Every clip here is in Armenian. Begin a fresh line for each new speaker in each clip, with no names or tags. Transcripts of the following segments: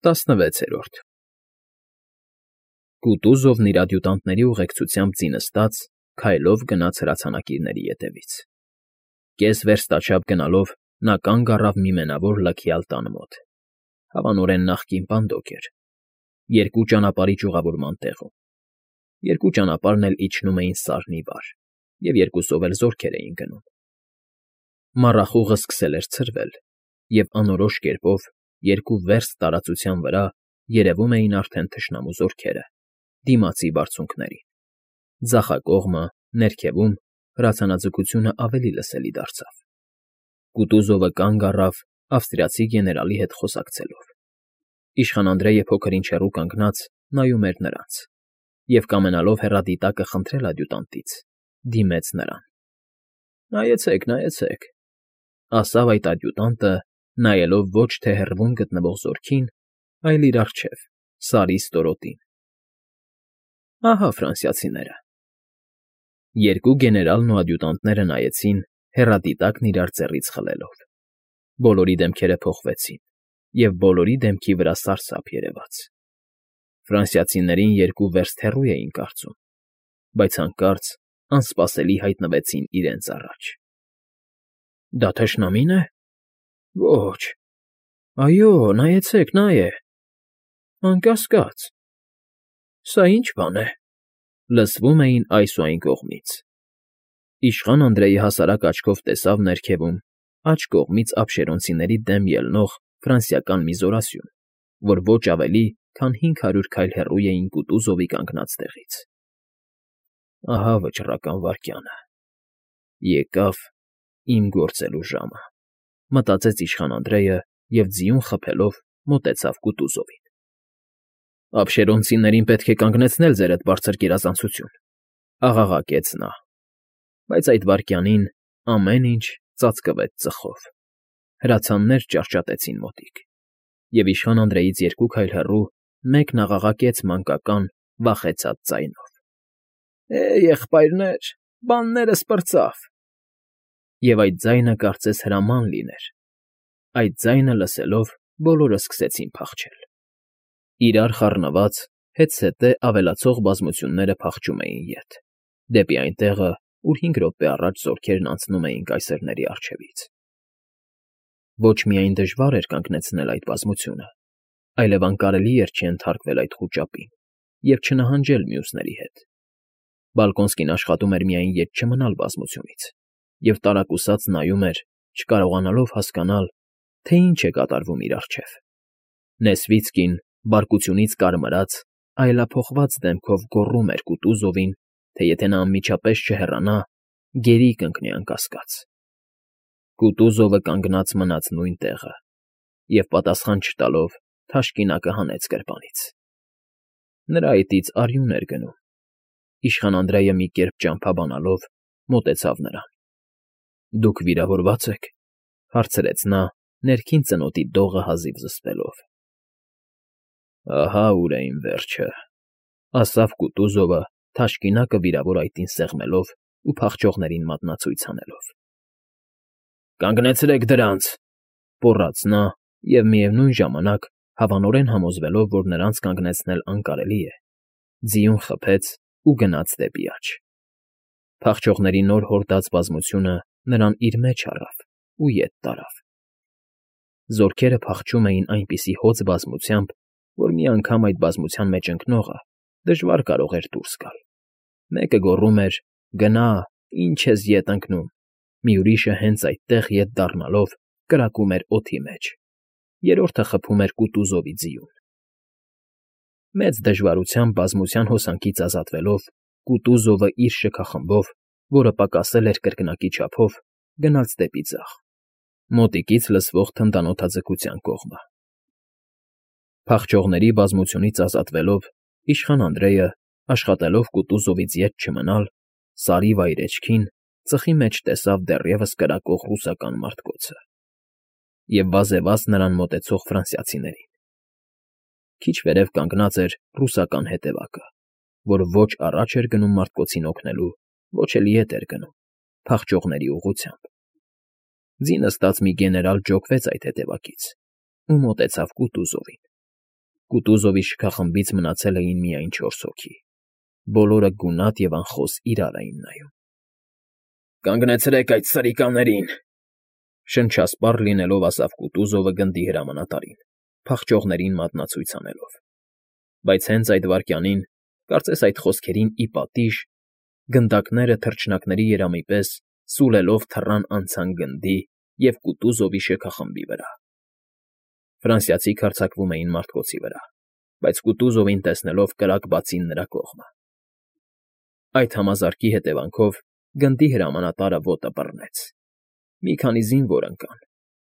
16-րդ Կուտուզովն իր ադյուտանտների ուղեկցությամբ ձի նստած քայլով գնաց հրացանակիրների ետևից։ Կես վերստաչափ գնալով նա կանգ առավ մի մենավոր լքյալ տան մոտ, հավանորեն նախկին պանդոկ էր, երկու ճանապարհի ճյուղավորման տեղում։ Երկու ճանապարհն էլ իջնում էին սարն ի վար, և երկուսով էլ զորքեր էին գնում։ Մառախուղը սկսել էր ցրվել, և անորոշ կերպով երկու վերստ տարածության վրա երևում էին արդեն թշնամու զորքերը, դիմացի բարձունքներին։ Ձախակողմը, ներքևում, հրացանաձգությունը ավելի լսելի դարձավ։ Կուտուզովը կանգ առավ ավստրիացի գեներալի հետ խոսակցելով։ Իշխան Անդրեյը փոքր-ինչ հեռու կանգնած նայում էր նրանց և, կամենալով հեռադիտակը խնդրել ադյուտանտից, դիմեց նրան։ Նայեցեք, նայեցեք, ասավ այդ ադյուտանտը, նայելով ոչ թե հեռվում գտնվող զորքին, այլ իր առջև, Սարի ստորոտին։ Ահա ֆրանսիացիները։ Երկու գեներալն ու ադյուտանտները նայեցին, հեռադիտակն իրար ձեռից խլելով։ Բոլորի դեմքերը փոխվեցին, և բոլորի դեմքի վրա սարսափ երևաց։ Ֆրանսիացիներին երկու վերստ հեռու էին կարծում, բայց հանկարծ անսպասելի հայտնվեցին իրենց առաջ։ Դա թշնամի՞ն է։ Ոչ։ Այո, նայեցեք, նա է։ Անկասկած։ Սա ի՞նչ բան է։ Լսվում էին այս ու այն կողմից։ Իշխան Անդրեյը հասարակ աչքով տեսավ ներքևում, աջ կողմից ափշերոնցիների դեմ ելնող ֆրանսիական մի զորասյուն, որ ոչ ավելի, քան 500 քայլ հեռու էին Կուտուզովի կանգնած տեղից։ Ահա վճռական վայրկյանը։ Եկավ իմ գործելու ժամը, մտածեց իշխան Անդրեյը և ձիուն խփելով մոտեցավ Կուտուզովին։ Ափշերոնցիներին պետք է կանգնեցնել ձեր այդ բարձր գերազանցություն, աղաղակեց նա, բայց այդ վայրկյանին ամեն ինչ ծածկվեց ծխով։ Հրացաններ ճարճատեցին մոտիկ, և իշխան Անդրեյից երկու քայլ հեռու մեկն աղաղակեց մանկական, վախեցած ձայնով. Եղբայրներ, բաններս պրծավ։ Եվ այդ ձայնը կարծես հրաման լիներ։ Այդ ձայնը լսելով բոլորը սկսեցին փախչել։ Իրար խառնված, հետզհետե ավելացող բազմությունները փախչում էին ետ, դեպի այն տեղը, ուր 5 րոպե առաջ զորքերն անցնում էին կայսրների առջևից։ Ոչ միայն դժվար էր կանգնեցնել այդ բազմությունը, այլև անկարելի էր չենթարկվել այդ խուճապին և չնահանջել մյուսների հետ։ Բալկոնսկին աշխատում էր միայն ետ չմնալ բազմությունից և տարակուսած նայում էր, չկարողանալով հասկանալ, թե ինչ է կատարվում իր առջև։ Նեսվիցկին, բարկությունից կարմրած, այլափոխված դեմքով գոռում էր Կուտուզովին, թե եթե նա անմիջապես չհեռանա, գերի կընկնի անկասկած։ Կուտուզովը կանգնած մնաց նույն տեղը և, պատասխան չտալով, թաշկինակը հանեց գրպանից։ Նրա այտից արյուն էր գնում։ Իշխան Անդրեյը մի կերպ ճամփաբանալով մոտեցավ նրան։ Դուք վիրավորվա՞ծ եք, հարցրեց նա, ներքին ծնոտի դողը հազիվ զսպելով։ Ահա ուր է իմ վերջը, ասավ Կուտուզովը, թաշկինակը վիրավոր այտին սեղմելով ու փախչողներին մատնացույց անելով։ Կանգնեցրեք դրանց, պոռաց նա և, միևնույն ժամանակ, հավանորեն համոզվելով, որ նրանց կանգնեցնել անկարելի է, ձիուն խփեց ու գնաց դեպի աջ։ Փախչողների նոր հորդած բազմությունը նրան իր մեջ առավ ու ետ տարավ։ Զորքերը փախչում էին այնպիսի հոծ բազմությամբ, որ մի անգամ այդ բազմության մեջ ընկնողը դժվար կարող էր դուրս գալ։ Մեկը գոռում էր. «Գնա, ինչ ես ետ ընկնում», մի ուրիշը հենց այդտեղ ետ դառնալով կրակում էր օդի մեջ, երրորդը խփում էր Կուտուզովի ձիուն։ Մեծ դժվարությամբ բազմության հոսանքից ազատվելով, Կուտուզովը իր շքախմբով, որը պակասել էր կրկնակի չափով, գնաց դեպի ձախ, մոտիկից լսվող թնդանոթաձգության կողմը։ Փախչողների բազմությունից ազատվելով, իշխան Անդրեյը, աշխատելով Կուտուզովից ետ չմնալ, Սարի վայրէջքին ծխի մեջ տեսավ դեռևս կրակող ռուսական մարտկոցը և վազեվազ նրան մոտեցող ֆրանսիացիներին։ Քիչ վերև կանգնած էր ռուսական հետևակը, որ ոչ առաջ էր գնում մարտկոցին օգնելու, ոչ էլ ետ էր գնում, փախչողների ուղղությամբ։ Ձի նստած մի գեներալ ջոկվեց այդ հետևակից ու մոտեցավ Կուտուզովին։ Կուտուզովի շքախմբից մնացել էին միայն 4 հոգի, բոլորը գունատ և անխոս իրար էին նայում։ «Կանգնեցրեք այդ սրիկաներին,֊ շնչասպառ լինելով ասավ Կուտուզովը գնդի հրամանատարին, փախչողներին մատնացույց անելով։ Բայց հենց այդ վայրկյանին, կարծես այդ խոսքերին ի պատիժ, գնդակները թռչնակների երամի պես սուլելով թռան անցան գնդի և Կուտուզովի շքախմբի վրա։ Ֆրանսիացիք հարձակվում էին մարտկոցի վրա, բայց Կուտուզովին տեսնելով կրակ բացին նրա կողմը։ Այդ համազարկի հետևանքով գնդի հրամանատարը ոտը բռնեց։ Մի քանի զինվոր ընկան,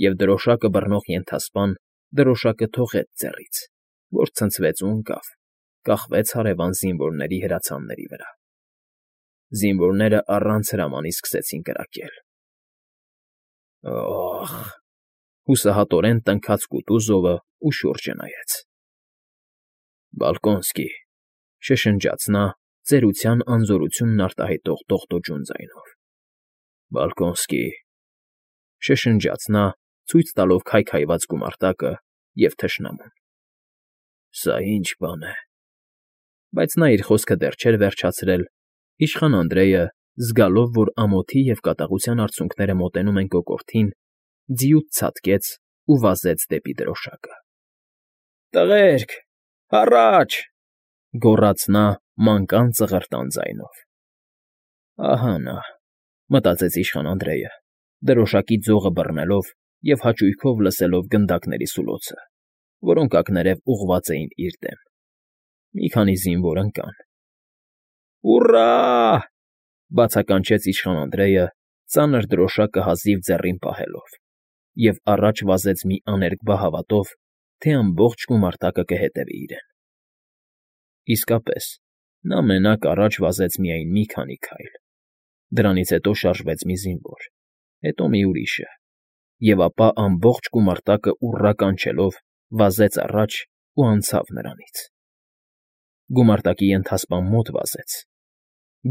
և դրոշակը բռնող ենթասպան դրոշակը թողեց ձեռից, որ ցնցվեց ու ընկավ, կախվեց հարևան զինվորների հրացանների վրա։ Զինվորները առանց հրամանի սկսեցին կրակել։ «Օ՜խ…֊ հուսահատորեն տնքաց Կուտուզովը ու շուրջը նայեց։ «Բալկոնսկի…֊ շշնջաց նա ծերության անզորությունն արտահայտող դողդոջուն ձայնով։ Բալկոնսկի…֊ շշնջաց նա, ցույց տալով քայքայված գումարտակը և թշնամուն։ Սա ի՞նչ բան է…»։ Բայց նա իր խոսքը դեռ չէր վերջացրել, իշխան Անդրեյը, զգալով, որ ամոթի և կատաղության արցունքները մոտենում են կոկորդին, ձիուց ցատկեց ու վազեց դեպի դրոշակը։ «Տղերք, առաջ…֊ գոռաց նա մանկան ծղրտան ձայնով։ Ահա նա…֊ մտածեց իշխան Անդրեյը, դրոշակի ձողը բռնելով և հաճույքով լսելով գնդակների սուլոցը, որոնք ակներև ուղղված էին իր դեմ։ Մի քանի զինվոր ընկան։ «Ուռա՜…֊ բացականչեց իշխան Անդրեյը, ծանր դրոշակը հազիվ ձեռին պահելով, և առաջ վազեց մի աներկբա հավատով, թե ամբողջ գումարտակը կհետևի իրեն։ Իսկապես, նա մենակ առաջ վազեց միայն մի քանի քայլ։ Դրանից հետո շարժվեց մի զինվոր, հետո մի ուրիշը, և ապա ամբողջ գումարտակը ուռա կանչելով վազեց առաջ ու անցավ նրանից։ Գումարտակի ենթասպան մոտ վազեց,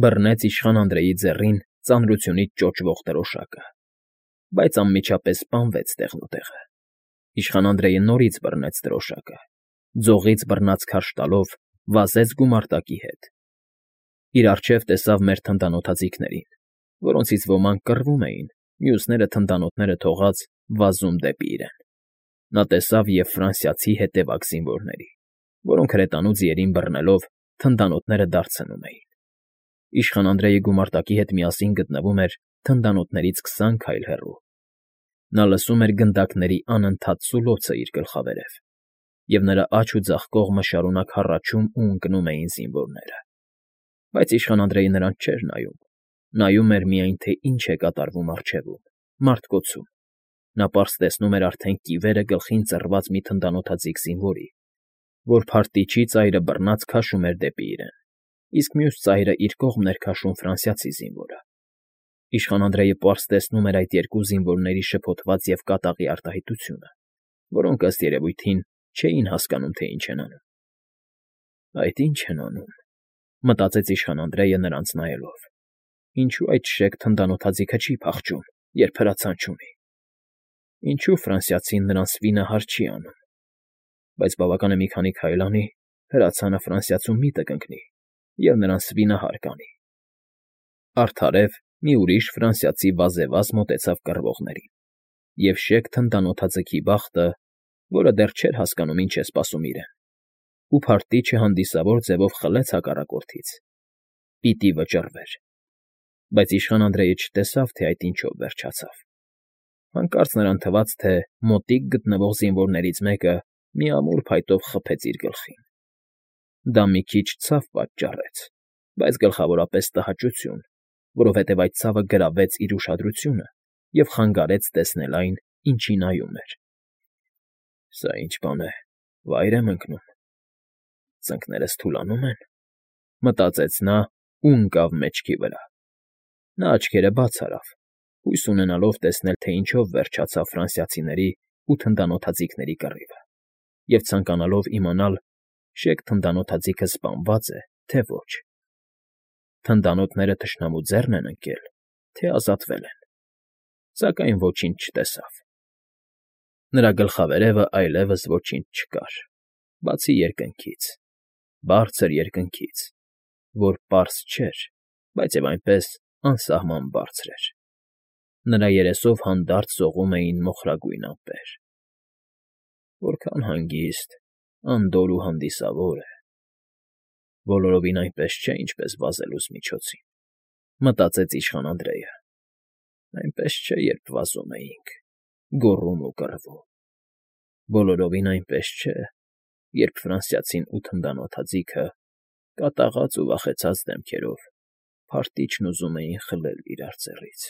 բռնեց իշխան Անդրեյի ձեռին ծանրությունից ճոճվող դրոշակը, բայց անմիջապես սպանվեց տեղնուտեղը։ Իշխան Անդրեյը նորից բռնեց դրոշակը, ձողից բռնած քարշ տալով վազեց գումարտակի հետ։ Իր առջև տեսավ մեր թնդանոթաձիգներին, որոնցից ոմանք կռվում էին, մյուսները թնդանոթները թողած վազում դեպի իրեն։ Նա տեսավ և ֆրանսիացի հետևակ զինվորների, որոնք հրետանու ձիերին բռնելով թնդանոթները դարձնում էին։ Իշխան Անդրեյը գումարտակի հետ միասին գտնվում էր թնդանոթներից 20 քայլ հեռու։ Նա լսում էր գնդակների անընդհատ սուլոցը իր գլխավերև, և նրա աջ ու ձախ կողմը շարունակ հառաչում ու ընկնում էին զինվորները։ Բայց իշխան Անդրեյը նրանց չէր նայում, նայում էր միայն, թե ինչ է կատարվում առջևում, մարտկոցում։ Նա պարզ տեսնում էր արդեն կիվերը գլխին ծռված մի թնդանոթաձիգ զինվորի, որ փարտիչի ծայրը բռնած քաշում էր դեպի իրեն, իսկ մյուս ծայրը իր կողմն էր քաշում ֆրանսիացի զինվորը։ Իշխան Անդրեյը պարզ տեսնում էր այդ երկու զինվորների շփոթված և կատաղի արտահայտությունը, որոնք, ըստ երևույթին, չէին հասկանում, թե ինչ են անում։ «Այդ ի՞նչ են անում,֊ մտածեց իշխան Անդրեյը նրանց նայելով։֊ Ինչու այդ շեք թնդանոթաձիգը չի փախչում, երբ հրացան չունի։ Ինչու ֆրանսիացին նրան սվինահար չի անում։ Բայց բավական է մի քանի քայլ անի, հրացանը ֆրանսիացու միտը կընկնի, և նրան սվինահար կանի»։ Արդարև մի ուրիշ ֆրանսիացի վազևազ մոտեցավ կռվողներին, և շեք թնդանոթաձիգի բախտը, որը դեռ չէր հասկանում ինչ է սպասում իրեն, ու փարտիչը հանդիսավոր ձևով խլեց հակառակորդից, պիտի վճռվեր։ Բայց իշխան Անդրեյը չտեսավ, թե այդ ինչով վերջացավ։ Հանկարծ նրան թվաց, թե մոտիկ գտնվող զինվորներից մեկը մի ամուր փայտով խփեց իր գլխին։ Դա մի քիչ ցավ պատճառեց, բայց գլխավորապես տհաճություն, որովհետև այդ ցավը գրավեց իր ուշադրությունը և խանգարեց տեսնել այն, ինչի նայում էր։ «Սա ի՞նչ բան է, վայր եմ ընկնում, ծնկներս թուլանո՞ւմ են,֊ մտածեց նա ու ընկավ մեջքի վրա։ Նա աչքերը բաց արավ, հույս ունենալով տեսնել, թե ինչով վերջացավ ֆրանսիացիների ու թնդանոթաձիգների կռիվը, և ցանկանալով իմանալ՝ շեք թնդանոթաձիգը սպանվա՞ծ է, թե ոչ։ Թնդանոթները թշնամու ձեռն են ընկել, թե ազատվել են, սակայն ոչինչ չտեսավ։ Նրա գլխավերևը այլևս ոչինչ չկար, Բացի երկնքից, բարձր երկնքից, որ պարզ չէր, բայց և այնպես անսահման բարձր էր. նրա երեսով հանդարտ սողում էին մոխրագույն ամպեր։ Որքան հանգիստ, անդորր ու հանդիսավոր է։ Բոլորովին այնպես չէ, ինչպես վազելուց միջոցին, մտածեց իշխան Անդրեյը։ Այնպես չէ, երբ վազում էինք, գոռում ու կռվում։ Բոլորովին այնպես չէ, երբ ֆրանսիացին ու թնդանոթաձիգը, կատաղած ու վախեցած դեմքերով, փարթիչն ուզում էին խլել իրար ձեռից։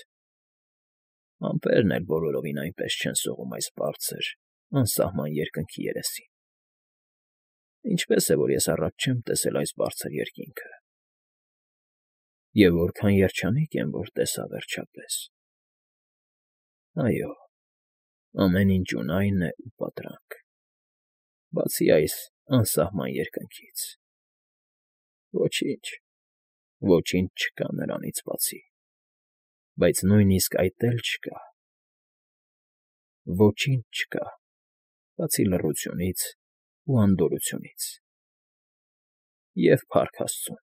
Ամպերն էլ բոլորովին այնպես չեն սողում այս բարձր, անսահման երկնքի երեսին։ Ինչպես է, որ ես առաջ չեմ տեսել այս բարձր երկինքը։ Եվ որքան երջանիկ եմ, որ տեսա վերջապես։ Այո, ամեն ինչ ունայն է ու պատրանք, բացի այս անսահման երկնքից։ Ոչինչ, ոչինչ չկա նրանից բացի, բայց նույնիսկ այդ էլ չկա։ Ոչինչ չկա, բացի լռությունից ու անդորրությունից և, փառք Աստծուն,